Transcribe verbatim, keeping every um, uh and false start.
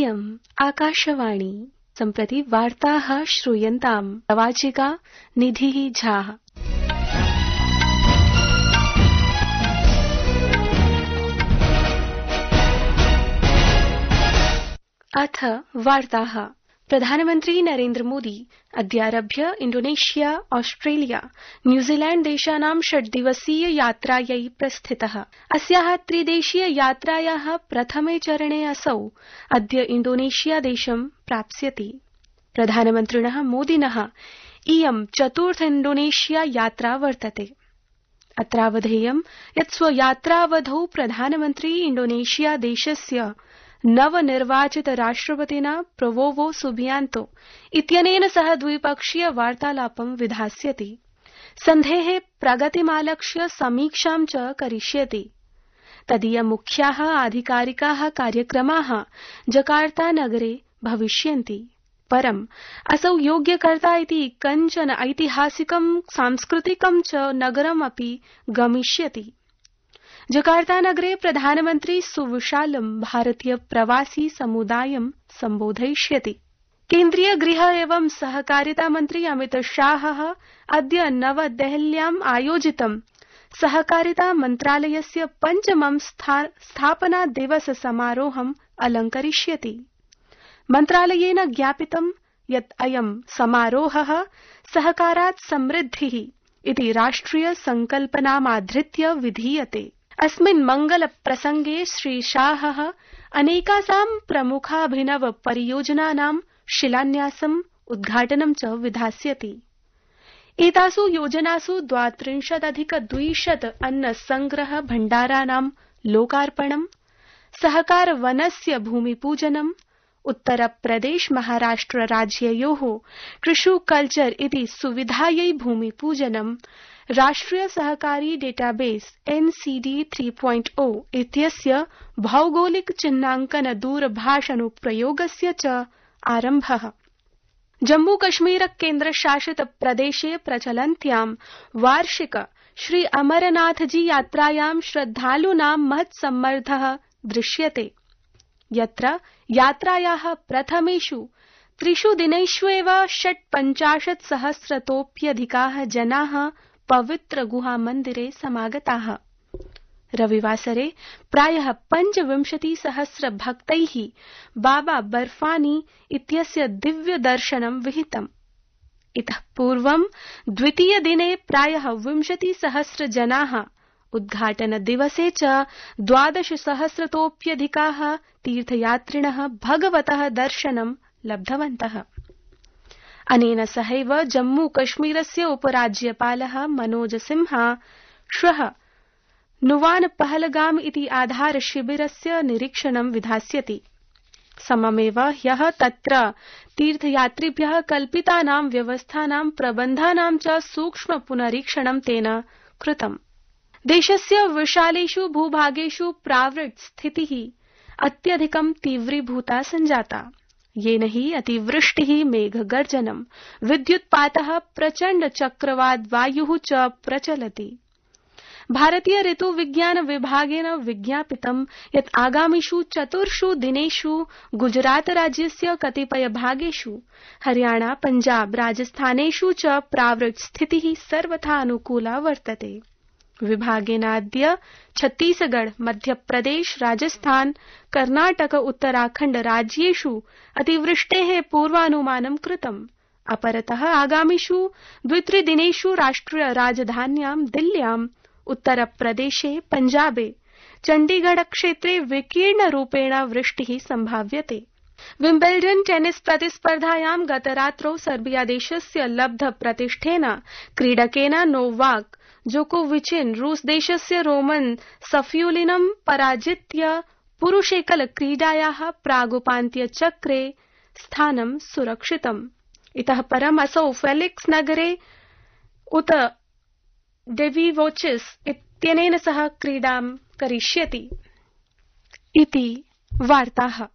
इयम् आकाशवाणी सम्प्रति वार्ताः श्रूयन्ताम् प्रवाचिका निधिः झा। अथ वार्ताः। प्रधानमन्त्री नरेन्द्र मोदी अद्यारभ्य इण्डोनेशिया, ऑस्ट्रेलिया, न्यूजीलैण्ड देशानां षड्दिवसीय यात्रायै प्रस्थितः। अस्याः त्रिदेशीय यात्रायाः प्रथमे चरणे असौ अद्य इण्डोनेशिया देशं प्राप्स्यति। प्रधानमन्त्रिणः मोदिनः इयं चतुर्थ इण्डोनेशिया यात्रा वर्तते। अत्रावधेयं यत् स्वयात्रावधौ प्रधानमन्त्री इण्डोनेशिया देशस्य नवनिर्वाचित राष्ट्रपतिना प्रबोवो सुबियांतो इत्यनेन सह द्विपक्षीय वार्तालापं विधास्यति। सन्धेः प्रगतिमालक्ष्य समीक्षां च करिष्यति। तदीय मुख्याः आधिकारिकाः कार्यक्रमाः जकार्ता नगरे भविष्यन्ति। परं असौ योग्यकर्ता इति कञ्चन ऐतिहासिकं सांस्कृतिकं च नगरमपि गमिष्यति। जकार्ता नगरे प्रधानमन्त्री सुविशालं भारतीय प्रवासी समुदायं सम्बोधयिष्यति। केन्द्रीय गृह एवं सहकारिता मन्त्री अमित शाहः अद्य नवदेहल्याम् आयोजितं सहकारिता मन्त्रालयस्य पञ्चमं स्थापना दिवस समारोहम् अलङ्करिष्यति। मन्त्रालयेन ज्ञापितं यत् अयं समारोहः सहकारात् समृद्धिः इति राष्ट्रिय संकल्पनामाधृत्य विधीयते। अस्मिन् मंगल प्रसंगे श्री शाहः अनेकासां प्रमुखाभिनव परियोजनानां शिलान्यासम् उद्घाटनं च विधास्यति। एतासु योजनासु द्वात्रिंशदधिक द्विशत अन्न संग्रह भण्डाराणां लोकार्पणं, सहकार वनस्य भूमिपूजनम्, उत्तरप्रदेश महाराष्ट्र राज्ययोः कृषु कल्चर इति सुविधायै भूमिपूजनम्, राष्ट्रिय सहकारी database NCD three point O इत्यस्य भौगोलिक चिह्नांकन दूरभाषानुप्रयोगस्य च आरम्भः। जम्मू कश्मीर केन्द्रशासित प्रदेशे प्रचलन्त्यां वार्षिक श्री अमरनाथजी यात्रायां श्रद्धालूनां महत्सम्मर्दः दृश्यते। यत्र यात्रायाः प्रथमेषु त्रिषु दिनेषु एव षट्पञ्चाशत् सहस्रतोऽप्यधिकाः जनाः पवित्र गुहा मन्दिरे समागताः। रविवासरे प्रायः पञ्चविंशति सहस्र भक्तैः बाबा बर्फानी इत्यस्य दिव्य दर्शनं विहितम्। इतः पूर्वं द्वितीय दिने प्रायः विंशति सहस्र जनाः, उद्घाटन दिवसे च द्वादश सहस्रतोऽप्यधिकाः तीर्थयात्रिणः भगवतः दर्शनं लब्धवन्तः। अनेन सहैव जम्मू कश्मीरस्य उपराज्यपालः मनोज सिन्हा श्वः नुवान पहलगाम इति आधार शिबिरस्य निरीक्षणं विधास्यति। सममेव ह्यः तत्र तीर्थयात्रिभ्यः कल्पितानां व्यवस्थानां प्रबन्धानां च सूक्ष्म पुनरीक्षणं तेन कृतम्। देशस्य विशालेषु भूभागेषु प्रावृट् स्थितिः अत्यधिकं तीव्रीभूता सञ्जाता, येन हि अतिवृष्टिः, मेघगर्जनं, विद्युत्पातः, प्रचण्ड चक्रवात वायुः च प्रचलति। भारतीय ऋतु विज्ञान विभागेन विज्ञापितं यत् आगामिषु चतुर्षु दिनेषु गुजरात राज्यस्य कतिपय भागेषु, हरियाणा, पंजाब, राजस्थानेषु च प्रावृट् स्थितिः सर्वथा अनुकूला वर्तते। विभागेनाद्य छत्तीसगढ़, मध्यप्रदेश, राजस्थान, कर्नाटक, उत्तराखण्ड राज्येषु अतिवृष्टेः पूर्वानुमानं कृतम्। अपरतः आगामिषु द्वित्रिदिनेषु राष्ट्रिय राजधान्यां दिल्ल्यां, उत्तरप्रदेशे, पंजाबे, चण्डीगढ़ क्षेत्रे विकीर्णरूपेण वृष्टिः संभाव्यते। विम्बल्डन् टेनिस प्रतिस्पर्धायां गतरात्रौ सर्बिया देशस्य लब्ध प्रतिष्ठेन क्रीडकेन नोवाक जोकोविचेन रूस देशस्य रोमन सफियुलिनं पराजित्य पुरुषेकल क्रीडायाः प्रागुपान्त्यचक्रे स्थानं सुरक्षितम्। इतः परम् असौ फेलिक्स नगरे उत डेविवोचिस इत्यनेन सह क्रीडां करिष्यति। इति वार्ताः।